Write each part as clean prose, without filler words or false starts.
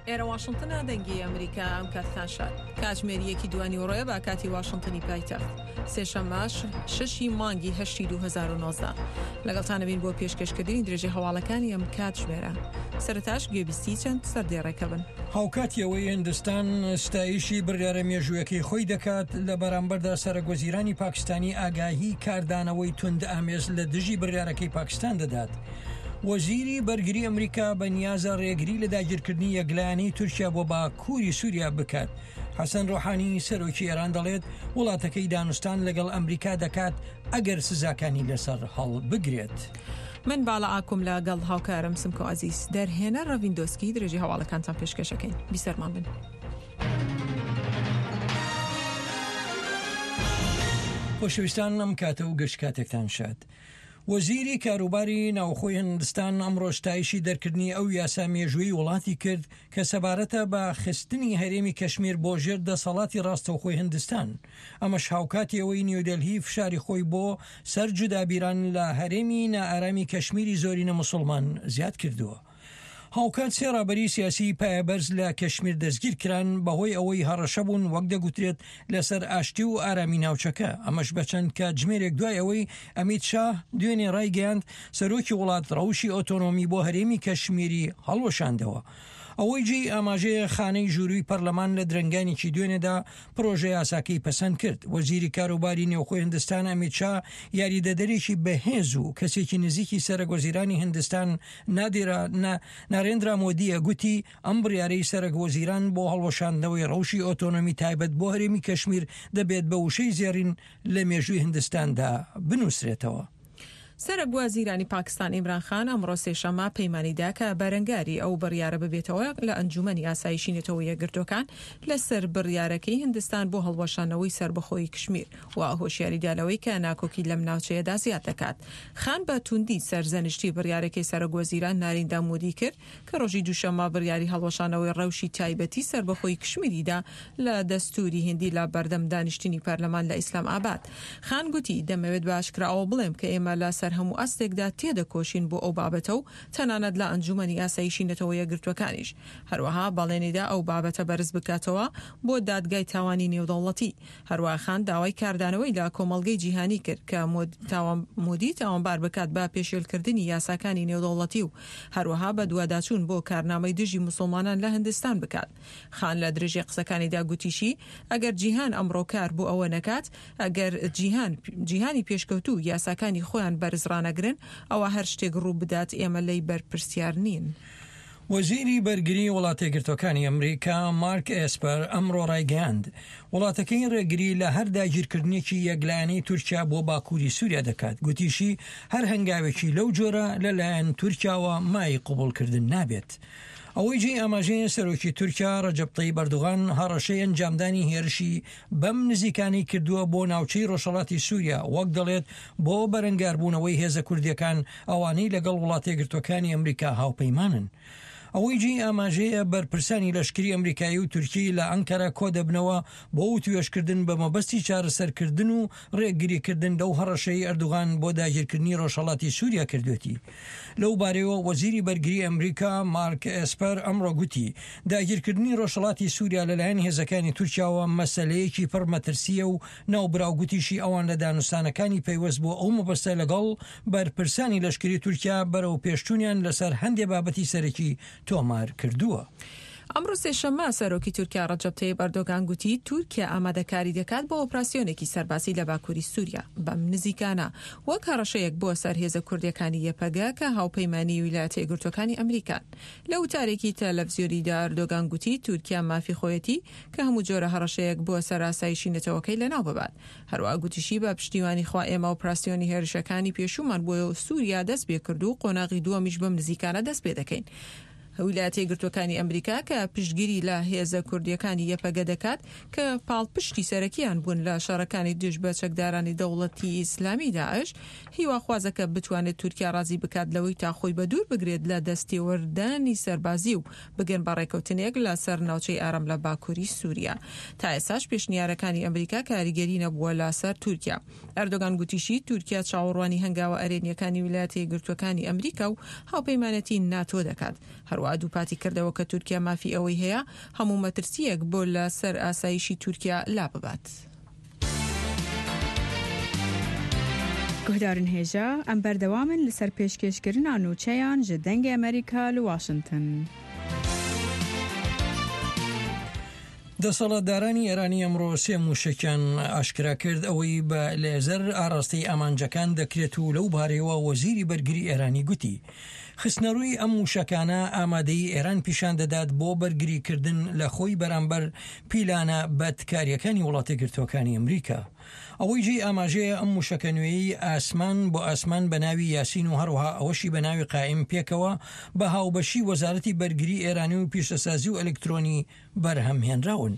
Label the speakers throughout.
Speaker 1: ئێرە واشنتنە دەنگی ئەمریکا ئەم کاتتان شاد. کاتژمێر یەکی دوانیوەڕۆیە بە کاتی واشنتنی پایتەخت. سێشەممە شەشی مانگی هەشتی 2019. لەگەڵتان ئەبین بۆ پێشکەشکردنی درێژەی هەواڵەکانی ئەم کاتژمێرە. سەرەتاش گوێبیستی چەند سەردێڕێکە بن.
Speaker 2: هاوکاتی ئەوەی هندستان ستایشی بڕیارە مێژوویەکەی خۆی دەکات، لە بەرامبەردا سەرەکوەزیرانی پاکستانی ئاگاهی کاردانەوەی توندئامێز لە دژی بڕیارەکەی پاکستان دەدات. وەزیری بەرگری ئەمریکا بە نیازە ڕێگری لە داگیرکردنی یەکلایەنەی تورکیا بۆ باکووری سووریا بکات. حەسەن ڕۆحانی سەرۆکی ئێران دەڵێت وڵاتەکەی دانوستان لەگەڵ ئەمریکا دەکات ئەگەر سزاکانی لەسەر هەڵبگرێت.
Speaker 1: من باڵا ئاکوم لە گەڵ هاوکارم سمکۆ عەزیز دەرهێنەر ڕەڤین دۆسکی درێژەی هەواڵەکانتان پێشکەشەکەین بیسەرمان بن.
Speaker 2: خۆشەویستان ئەم کاتە و گشت کاتێکتان شاد. وەزیری کاروباری ناوخۆی هندستان ئەمڕۆ ستایشی دەرکردنی ئەو یاسا مێژوویی وڵاتی کرد کە سەبارەتە بە خستنی هەرێمی کەشمیر بۆ ژێر دەسەڵاتی ڕاستەوخۆی هندستان، ئەمەش هاوکاتی ئەوەی نیودەلهی فشاری خۆی بۆ سەر جودابیران لە هەرێمی نائارامی کەشمیری زۆرینە موسڵمان زیاد کردووە. هاوکات سێ ڕابەری سیاسیی پایەبەرز لە کەشمیر دەستگیرکران بەهۆی ئەوەی هەڕەشە بوون وەک دەگوترێت لەسەر ئاشتی و ئارامی ناوچەکە، ئەمەش بە چەند کاتژمێرێک دوای ئەوەی ئەمیت شاه دوێنێ ڕایگەیاند سەرۆکی وڵات ڕەوشی ئۆتۆنۆمی بۆ هەرێمی کەشمیری هەڵوەشاندەوە. ئەوەی جێی ئاماژەیە خانەی ژوورووی پەرلەمان لە درەنگانێکی دوێنێدا پرۆژە یاساکەی پەسەند کرد. وەزیری کاروباری نێوخۆی هندستان ئەمیت شا یاریدەدەرێکی بەهێز و کەسێکی نزیکی سەرەک وەزیرانی هندستان نادیرا نارێندرا مۆدییە گوتی ئەم بڕیارەی سەرەک وەزیران بۆ هەڵوەشاندنەوەی ڕەوشی ئۆتۆنۆمی تایبەت بۆ هەرێمی کەشمیر دەبێت بە وشەی زێڕین لە مێژووی هندستاندا بنووسرێتەوە.
Speaker 1: سەرەک وەزیرانی پاکستان ئیمران خان ئەمڕۆ سێشەممە پەیمانی دا کە بەرەنگاری ئەو بڕیارە ببێتەوە لە ئەنجوومەنی ئاسایشی نەتەوە یەکگرتووەکان لەسەر بڕیارەکەی هندستان بۆ هەڵوەشاندنەوەی سەربەخۆیی کشمیر و هۆشیاری دا لەوەی کە ناکۆکی لەم ناوچەیەدا زیاد دەکات. خان بە تووندی سەرزەنشتی بڕیارەکەی سەرۆک وەزیران ناریندا مودی کرد کە ڕۆژی دووشەممە بڕیاری هەڵوەشانەوەی ڕەوشی تایبەتی سەربەخۆی کشمیری دا لە دەستووری هیندی لە بەردەم دانیشتنی پەرلەمان لە ئیسلام ئاباد. خان گوتی، دەمەوێت بە ئاشکرا ئەوە بڵێم کە ئێمە لە سەر هەموو ئاستێکدا تێدەکۆشین بۆ ئەو بابەتە و تەنانەت لە ئەنجوومەنی ئاسایشی نەتەوە یەکگرتووەکانیش. هەروەها بەڵێنی دا ئەو بابەتە بەرز بکاتەوە بۆ دادگای تاوانی نێودەوڵەتی. هەروەها خان داوای کاردانەوەی لە کۆمەڵگەی جیهانی کرد کە مۆدی تاوانبار بکات بە پێشێلکردنی یاساکانی نێودەوڵەتی و هەروەها بەدواداچوون بۆ کارنامەی دژی موسڵمانان لە هندستان بکات. خان لە درێژەی قسەکانیدا گوتیشی، ئەگەر جیهان ئەمڕۆ کار بۆ ئەوە نەکات، ئەگەر جیهان جیهانی پێشکەوتوو یاساکانی خۆیان بەرز ڕانەگرن، ئەوا هەر شتێک ڕوو بدات ئێمە لێی بەرپرسیار نین.
Speaker 2: وەزیری بەرگری وڵاتەیەکگرتووەکانی ئەمریکا مارک ئێسپەر ئەمڕۆ ڕایگەیاند، وڵاتەکەی ڕێگری لە هەر داگیرکردنێکی یەکلایەنەی تورکیا بۆ باکووری سووریا دەکات، گوتیشی، هەر هەنگاوێکی لەو جۆرە لەلایەن تورکیاوە مایەی قبوڵکردن نابێت. ئەوەی جێی ئاماژەیە سەرۆکی تورکیا ڕەجەب تەیب ئەردوغان هەڕەشەی ئەنجامدانی هێرشی بەم نزیکانەی کردووە بۆ ناوچەی ڕۆژهەڵاتی سووریا، وەک دەڵێت بۆ بەرەنگاربوونەوەی هێزە کوردییەکان ئەوانەی لەگەڵ وڵاتەیەکگرتووەکانی ئەمریکا هاوپەیمانن. ئەوەی جێی ئاماژەیە بەرپرسانی لەشکری ئەمریکایی و تورکی لە ئەنکەرە کۆدەبنەوە بۆ وتوێژکردن بە مەبەستی چارەسەرکردن و ڕێگریکردن لەو هەڕەشەی ئەردوغان بۆ داگیرکردنی ڕۆژهەڵاتی سووریا کردوێتی. لەو بارەیەوە وەزیری بەرگری ئەمریکا مارک ئێسپەر ئەمڕۆ گوتی، داگیرکردنی ڕۆژهەڵاتی سووریا لەلایەن هێزەکانی تورکیاوە مەسەلەیەکی پڕ مەترسییە و ناوبراو گوتیشی ئەوان لە دانوستانەکانی پەیوەست بۆ ئەو مەبەستە لەگەڵ بەرپرسانی لەشکری تورکیا بەرەو پێشچوونیان لەسەر هەندێ بابەتی سەرەکی تۆمار کردووە.
Speaker 1: ئەمڕۆ سێشەممە سەرۆکی تورکیا ڕەجەب تەیب ئەردۆگان گوتی تورکیا ئامادەکاری دەکات بۆ ئۆپراسیۆنێکی سەربازی لە باکووری سووریا بەم نزیکانە وەک هەڕەشەیەک بۆ سەر هێزە کوردییەکانی یەپەگە کە هاوپەیمانی ویلایەتە یەکگرتووەکانی ئەمریکان. لە وتارێکی تەلەفزیۆنیدا ئەردۆگان گوتی تورکیا مافی خۆیەتی کە هەموو جۆرە هەڕەشەیەک بۆ سەر ئاسایشی نەتەوەکەی لەناو ببات. هەروەها گوتیشی بە پشتیوانی خوا ئێمە ئۆپراسیۆنی هێرشەکانی پێشوومان بۆ سووریا دەست پێکرد و قۆناغی دووەمیش بەم نزیکانە دەست پێدەکەین. ویلایەتە یەکگرتووەکانی ئەمریکا کە پشتگیری لە هێزە کوردییەکانی یەپەگە دەکات کە پاڵپشتی سەرەکییان بوون لە شەڕەکانی دژ بە چەکدارانی دەوڵەتی ئیسلامی داعش، هیواخوازە کە بتوانێت تورکیا ڕازی بکات لەوەی تا خۆی بەدوور بگرێت لە دەستێوەردانی سەربازی و بگەن بە ڕێکەوتنێک لە سەر ناوچەی ئارام لە باکووری سووریا. تا ئێستاش پێشنیارەکانی ئەمریکا کاریگەری نەبووە لە سەر تورکیا. ئەردۆگان گوتیشی، تورکیا چاوەڕوانی هەنگاوە ئەرێنییەکانی ویلایەتە یەکگرتووەکانی ئەمریکا و هاوپەیمانێتی ناتۆ دەکات. هەروەها. هەروەها دووپاتی کردەوە کە تورکیا مافی ئەوەی هەیە هەموو مەترسییەک بۆ لە سەر ئاسایشی تورکیا لاببات.
Speaker 3: Guhdarên hêja, em berdewam in li ser pêşkêşkirina nûçeyan ji Dengê Amerîka li Washington.
Speaker 2: دەسەڵاتدارانی ئێرانی ئەمڕۆ سێ مووشەکیان ئاشکرا کرد، ئەوەی بە لێزەر ئاراستەی ئامانجەکان دەکرێت و لەو بارەیەوە وەزیری بەرگری ئێرانی گوتی، خستنەرووی ئەم مووشەکانە ئامادەیی ئێران پیشان دەدات بۆ بەرگریکردن لە خۆی بەرامبەر پیلانە بەدکارییەکانی وڵاتەیەکگرتووەکانی ئەمریکا. ئەوەی جێی ئاماژەیە ئەم مووشەکە نوێیەی ئاسمان بۆ ئاسمان بە ناوی یاسین و هەروەها ئەوەشی بە ناوی قائیم پێکەوە بە هاوبەشی وەزارەتی بەرگری ئێرانی و پیشەسازی و ئەلکترۆنی بەرهەم هێنراون.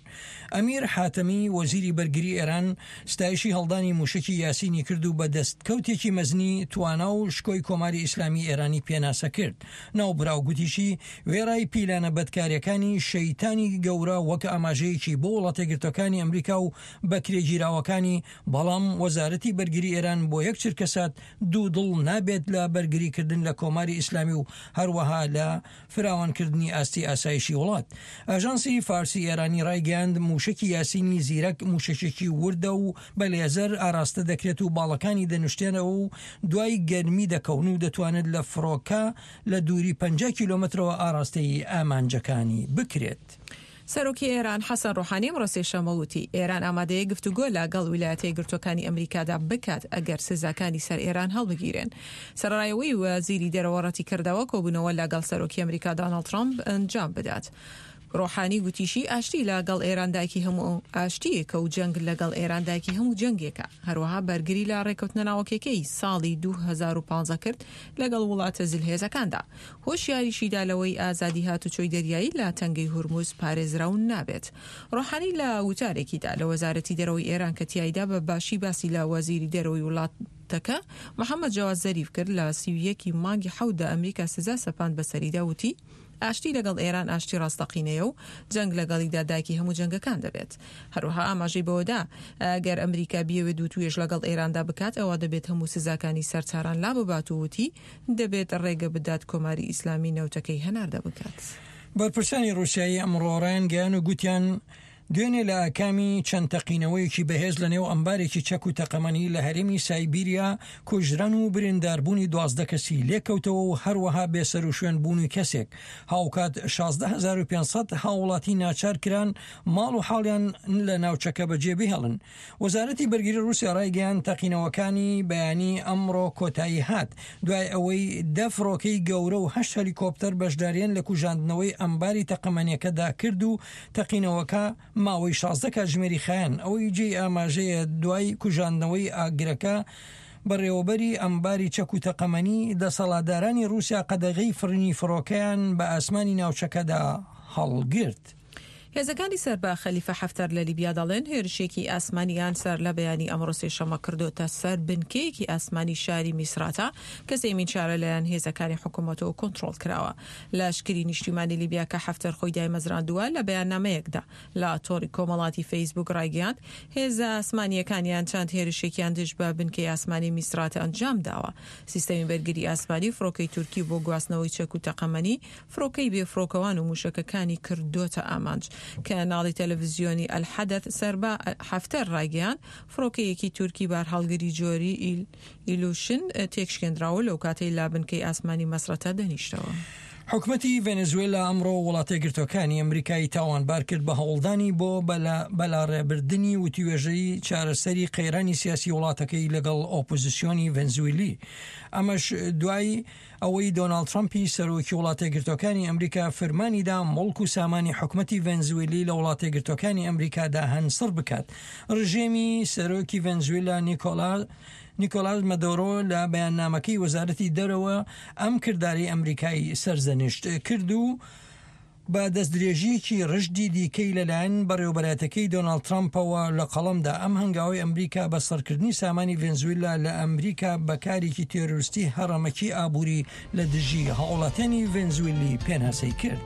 Speaker 2: ئەمیر حاتەمی، وەزیری بەرگری ئێران، ستایشی هەڵدانی مووشەکی یاسینی کرد و بە دەستکەوتێکی مەزنی توانا و شکۆی کۆماری ئیسلامی ئێرانی پێناسە کرد. ناوبراو گوتیشی، وێڕای پیلانە بەدکارییەکانی شەیتانی گەورە وەک ئاماژەیەکی بۆ وڵاتەیەکگرتووەکانی ئەمریکا و بەکرێگیراوەکانی، بەڵام وەزارەتی بەرگری ئێران بۆ یەک چرکەسات دوودڵ نابێت لە بەرگریکردن لە کۆماری ئیسلامی و هەروەها لە فراوانکردنی ئاستی ئاسایشی وڵات. ئاژانسی فارسی ئێرانی ڕایگەیاند، مووشەکی یاسینی زیرەک مووشەکێکی وردە و بە لێزەر ئاراستە دەکرێت و باڵەکانی دەنوشتێنەوە و دوای گەرمی دەکەون و دەتوانێت لە فڕۆکە لە دووری 50 کیلۆمەترەوە ئاراستەی ئامانجەکانی بکرێت.
Speaker 1: سەرۆکی ئێران حەسەن ڕۆحانی ئەمڕۆ سێشەممە وتی، ئێران ئامادەیە گفتوگۆ لە گەڵ ویلایەتە یەکگرتووەکانی ئەمریکادا بکات ئەگەر سزاکانی سەر ئێران هەڵبگیرێن. سەرەڕای ئەوەی وەزیری دەرەوە ڕەتیکردەوە کۆبوونەوە لە گەڵ سەرۆکی ئەمریکا داناڵد ترەمپ ئەنجام بدات. ڕۆحانی گوتیشی، ئاشتی لە گەڵ ئێران دایکی هەموو ئاشتییەکە و جەنگ لە گەڵ ئێران دایکی هەموو جەنگێکە. هەروەها بەرگری لە ڕێککەوتنە ناوەکیەکەی ساڵی 2015 کرد لەگەڵ وڵاتە زلهێزەکاندا. هۆشیاریشی دا لەوەی ئازادی هاتوچۆی دەریایی لە تەنگەی هورمز پارێزراو نابێت. ڕۆحانی لە وتارێکیدا لە وەزارەتی دەرەوەی ئێران کە تیایدا بە باشی باسی لە وەزیری دەرەوەی وڵاتەکە محەمەد جەواد زەریف کرد لە 31 ی مانگی حەوتدا ئەمریکا سزا سەپاند بەسەریدا وتی، ئاشتی لەگەڵ ئێران ئاشتی ڕاستەقینەیە و جەنگ لەگەڵیدا دایکی هەموو جەنگەکان دەبێت. هەروەها ئاماژەی بەوەدا، ئەگەر ئەمریکا بیەوێت وتوێژ لەگەڵ ئێراندا بکات ئەوا دەبێت هەموو سزاکانی سەر تاران لاببات و وتی، دەبێت ڕێگە بدات کۆماری ئیسلامی نەوتەکەی هەناردە بکات.
Speaker 2: بەرپرسانی ڕووسیایی ئەمڕۆ ڕایانگەیان و گوتیان، دوێنێ لە ئاکامی چەند تەقینەوەیەکی بەهێز لە نێو ئەمبارێکی چەک و تەقەمەنی لە هەرێمی سایبیریا کوژران و برینداربوونی 12 کەسی لێکەوتەوە و هەروەها بێسەروشوێن بوونی کەسێک، هاوکات 16500 هاوڵاتی ناچار کران ماڵ و حاڵیان لە ناوچەکە بەجێ بهێڵن. وەزارەتی بەرگری ڕووسیا ڕایگەیاند، تەقینەوەکانی بەیانی ئەمڕۆ کۆتایی هات، دوای ئەوەی دە فڕۆکەی گەورە و هەشت هەلیکۆپتەر بەشدارییان لە کوژاندنەوەی ئەمباری تەقەمەنیەکەدا کرد و تەقینەوەکە ماوەی 16 کاتژمێری خایاند. ئەوەی جێی ئاماژەیە دوای کوژاندنەوەی ئاگرەکە، بەڕێوەبەری ئەمباری چەک و تەقەمەنی، دەسەڵاتدارانی ڕووسیا قەدەغەی فڕینی فڕۆکەیان بە ئاسمانی ناوچەکەدا هەڵگرت.
Speaker 1: هێزەکانی سەر بە خەلیفە حەفتەر لە لیبیا دەڵێن، هێرشێکی ئاسمانیان سەر لە بەیانی ئەمڕۆ سێشەممە کردۆتە سەر بنکەیەکی ئاسمانی شاری میسراتە کە سێیەمین شارە لەلایەن هێزەکانی حکومەتەوە کۆنترۆڵ کراوە. لەشکری نیشتیمانی لیبیا کە حەفتەر خۆی دایمەزراندووە لە بەیاننامەیەکدا لە تۆڕی کۆمەڵاتی فەیسبووک ڕایگەیاند، هێزە ئاسمانییەکانیان چەند هێرشێکیان دژ بە بنکەی ئاسمانی میسراتە ئەنجام داوە. سیستەمی بەرگری ئاسمانی و فڕۆکەی تورکی بۆ گواستنەوەی چەک و تەقەمەنی فڕۆکەی بێفڕۆکەوان و مووشەکەکانی کردۆتە ئامانج. کەناڵی تەلەڤزیۆنی ئەلحەدەث سەر بە حەفتەر ڕایگەیاند، فڕۆکەیەکی تورکی بارهەڵگری جۆری ئیلوشن تێکشکێندراوە لەوکاتەی لە بنکەی ئاسمانی مەسرەتە دەنیشتەوە.
Speaker 2: حکومەتی ڤەنزوێلا ئەمڕۆ وڵاتەیەکگرتووەکانی ئەمریکای تاوانبار کرد بە هەوڵدانی بۆ بەلاڕێبردنی وتوێژەی چارەسەری قەیرانی سیاسی وڵاتەکەی لەگەڵ ئۆپۆزسیۆنی ڤەنزویلی ئەمەش دوای ئەوەی دۆناڵد ترەمپی سەرۆکی وڵاتەیەکگرتووەکانی ئەمریکا فرمانی دا موڵک و سامانی حکومەتی ڤەنزویلی لە وڵاتەیەکگرتووەکانی ئەمریکادا هەن سڕ بکات. ڕژێمی سەرۆکی ڤەنزویلا نیکۆلا نیکۆلاس مەدۆرۆ لە بەیاننامەکەی وەزارەتی دەرەوە ئەم کردارەی ئەمریکای سەرزەنشت کرد و بە دەستدرێژییەکی رژدی دیکەی لەلایەن بەڕێوەبەرایەتەکەی دۆناڵد ترەمپەوە لە قەڵەمدا، ئەم هەنگاوەی ئەمریکا بە سڕکردنی سامانی ڤێنزویلا لە ئەمریکا بە کارێکی تێرۆریستی هەڕەمەکی ئابووری لە دژی هاوڵاتیانی ڤێنزویلی پێناسەی کرد.